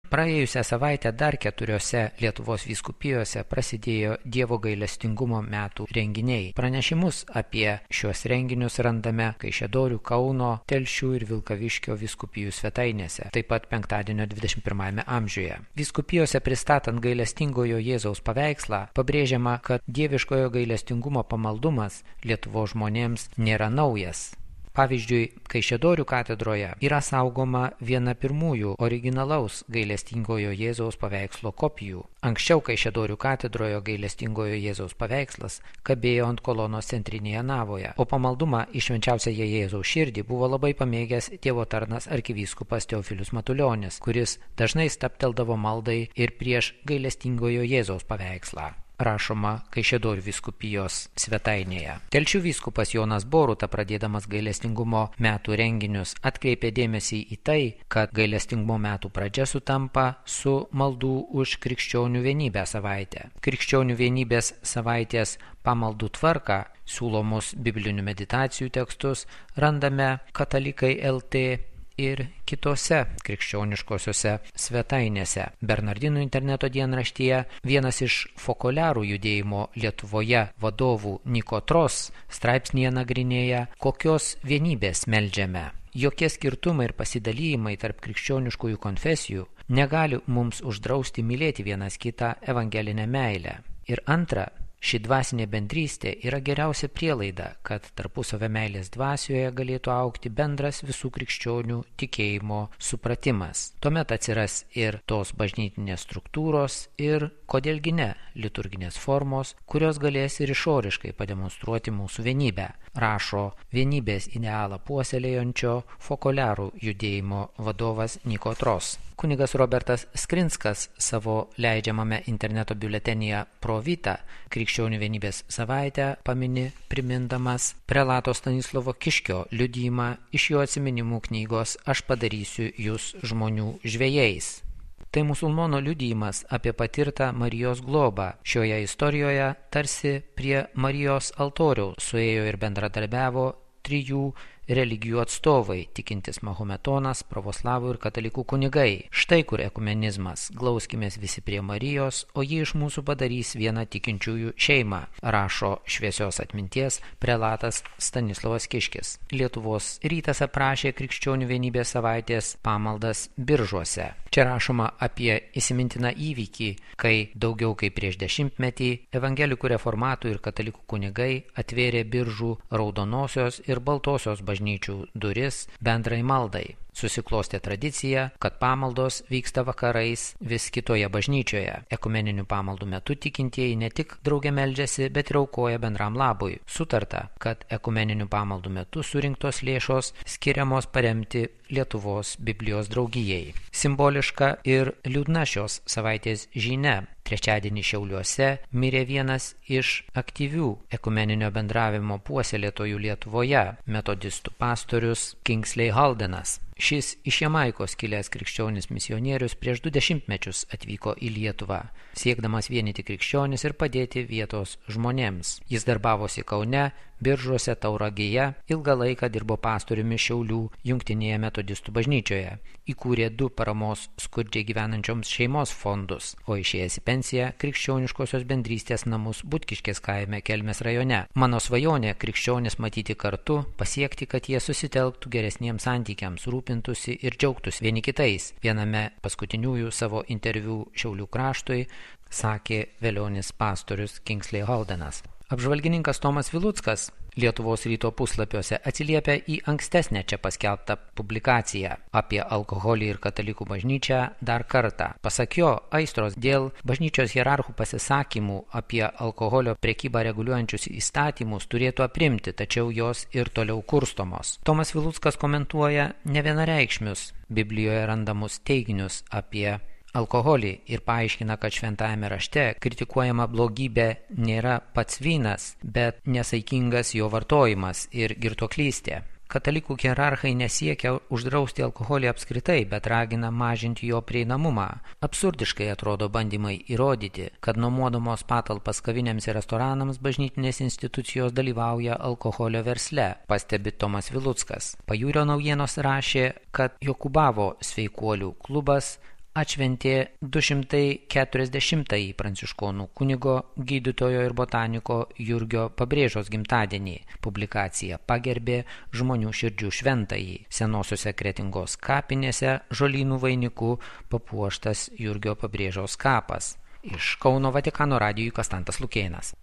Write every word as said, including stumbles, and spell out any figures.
Praėjusią savaitę dar keturiose Lietuvos vyskupijose prasidėjo Dievo gailestingumo metų renginiai. Pranešimus apie šios renginius randame Kaišiadorių, Kauno, Telšių ir Vilkaviškio vyskupijų svetainėse, taip pat penktadienio dvidešimt pirmajame amžiuje. Vyskupijose pristatant gailestingojo Jėzaus paveikslą, pabrėžiama, kad dieviškojo gailestingumo pamaldumas Lietuvos žmonėms nėra naujas. Pavyzdžiui, Kaišiadorių katedroje yra saugoma viena pirmųjų originalaus gailestingojo Jėzaus paveikslo kopijų. Anksčiau Kaišiadorių katedroje gailestingojo Jėzaus paveikslas kabėjo ant kolonos centrinėje navoje, o pamaldumą į švenčiausiąją Jėzaus širdį buvo labai pamėgęs Dievo tarnas arkivyskupas Teofilius Matulionis, kuris dažnai stabteldavo maldai ir prieš gailestingojo Jėzaus paveikslą. Rašoma Kaišiadorių vyskupijos svetainėje. Telšių vyskupas Jonas Boruta, pradėdamas gailestingumo metų renginius, atkreipė dėmesį į tai, kad gailestingumo metų pradžia sutampa su maldų už krikščionių vienybę savaitę. Krikščionių vienybės savaitės pamaldų tvarką, siūlomus biblinių meditacijų tekstus randame Katalikai L T ir kitose krikščioniškosiose svetainėse. Bernardinų interneto dienraštyje vienas iš fokoliarų judėjimo Lietuvoje vadovų Niko Tros straipsnyje nagrinėja, kokios vienybės meldžiame. Jokie skirtumai ir pasidalijimai tarp krikščioniškųjų konfesijų negali mums uždrausti mylėti vienas kitą evangelinę meilę. Ir antra, ši dvasinė bendrystė yra geriausia prielaida, kad tarpusavio meilės dvasioje galėtų augti bendras visų krikščionių tikėjimo supratimas. Tuomet atsiras ir tos bažnytinės struktūros ir, kodėlgi ne, liturginės formos, kurios galės ir išoriškai pademonstruoti mūsų vienybę, rašo vienybės idealą puoselėjančio fokoliarų judėjimo vadovas Niko Tros. Kunigas Robertas Skrinskas savo leidžiamame interneto biuletenyje Pro Vita krikščionių vienybės savaitę pamini, primindamas prelato Stanislovo Kiškio liudijimą iš jo atsiminimų knygos Aš padarysiu jūs žmonių žvejais. Tai musulmono liudijimas apie patirtą Marijos globą. Šioje istorijoje tarsi prie Marijos altoriaus suėjo ir bendradarbiavo trijų religijų atstovai, tikintis mahometonas, pravoslavų ir katalikų kunigai. Štai kur ekumenizmas. Glauskimės visi prie Marijos, o ji iš mūsų padarys vieną tikinčiųjų šeimą, rašo šviesios atminties prelatas Stanislovas Kiškis. Lietuvos rytas aprašė krikščionių vienybės savaitės pamaldas Biržuose. Čia rašoma apie įsimintiną įvykį, kai daugiau kaip prieš dešimtmetį evangelikų reformatų ir katalikų kunigai atvėrė Biržų raudonosios ir baltosios bažnyčių duris bendrai maldai. Susiklostė tradicija, kad pamaldos vyksta vakarais vis kitoje bažnyčioje. Ekumeninių pamaldų metu tikintieji ne tik drauge meldžiasi, bet ir aukoja bendram labui. Sutarta, kad ekumeninių pamaldų metu surinktos lėšos skiriamos paremti Lietuvos Biblijos draugijai. Simboliška ir liūdna šios savaitės žinia. Trečiadienį Šiauliuose mirė vienas iš aktyvių ekumeninio bendravimo puoselėtojų Lietuvoje, metodistų pastorius Kingsley Haldenas. Šis iš Jamaikos kilęs krikščionis misionierius prieš du dešimtmečius atvyko į Lietuvą, siekdamas vienyti krikščionis ir padėti vietos žmonėms. Jis darbavosi Kaune, Biržuose, Tauragėje, ilgą laiką dirbo pastoriumi Šiaulių jungtinėje metodistų bažnyčioje, įkūrė du paramos skurdžiai gyvenančioms šeimos fondus, o išėjęs į pensiją krikščioniškosios bendrystės namus Butkiškės kaime Kelmės rajone. Mano svajonė krikščionis matyti kartu, pasiekti, kad jie susitelktų geresniems santykiams, rūpintųsi ir džiaugtųsi vieni kitais. Viename paskutiniųjų savo interviu Šiaulių kraštui sakė velionis pastorius Kingsley Haldenas. Apžvalgininkas Tomas Viluckas Lietuvos ryto puslapiuose atsiliepia į ankstesnę čia paskelbtą publikaciją apie alkoholį ir katalikų bažnyčią dar kartą. Pasak jo, aistros dėl bažnyčios hierarchų pasisakymų apie alkoholio prekybą reguliuojančius įstatymus turėtų aprimti, tačiau jos ir toliau kurstomos. Tomas Viluckas komentuoja nevienareikšmius Biblijoje randamus teiginius apie alkoholį ir paaiškina, kad šventajame rašte kritikuojama blogybė nėra pats vynas, bet nesaikingas jo vartojimas ir girtuoklystė. Katalikų hierarchai nesiekia uždrausti alkoholį apskritai, bet ragina mažinti jo prieinamumą. Absurdiškai atrodo bandymai įrodyti, kad nuomodamos patalpas kavinėms ir restoranams bažnytinės institucijos dalyvauja alkoholio versle, pastebi Tomas Viluckas. Pajūrio naujienos rašė, kad Jokubavo sveikuolių klubas atšventė du šimtai keturiasdešimtąjį pranciškonų kunigo, gydytojo ir botaniko Jurgio Pabrėžos gimtadienį. Publikacija pagerbė žmonių širdžių šventąjį. Senosiuose Kretingos kapinėse žolynų vainiku papuoštas Jurgio Pabrėžos kapas. Iš Kauno Vatikano radijui Kastantas Lukėnas.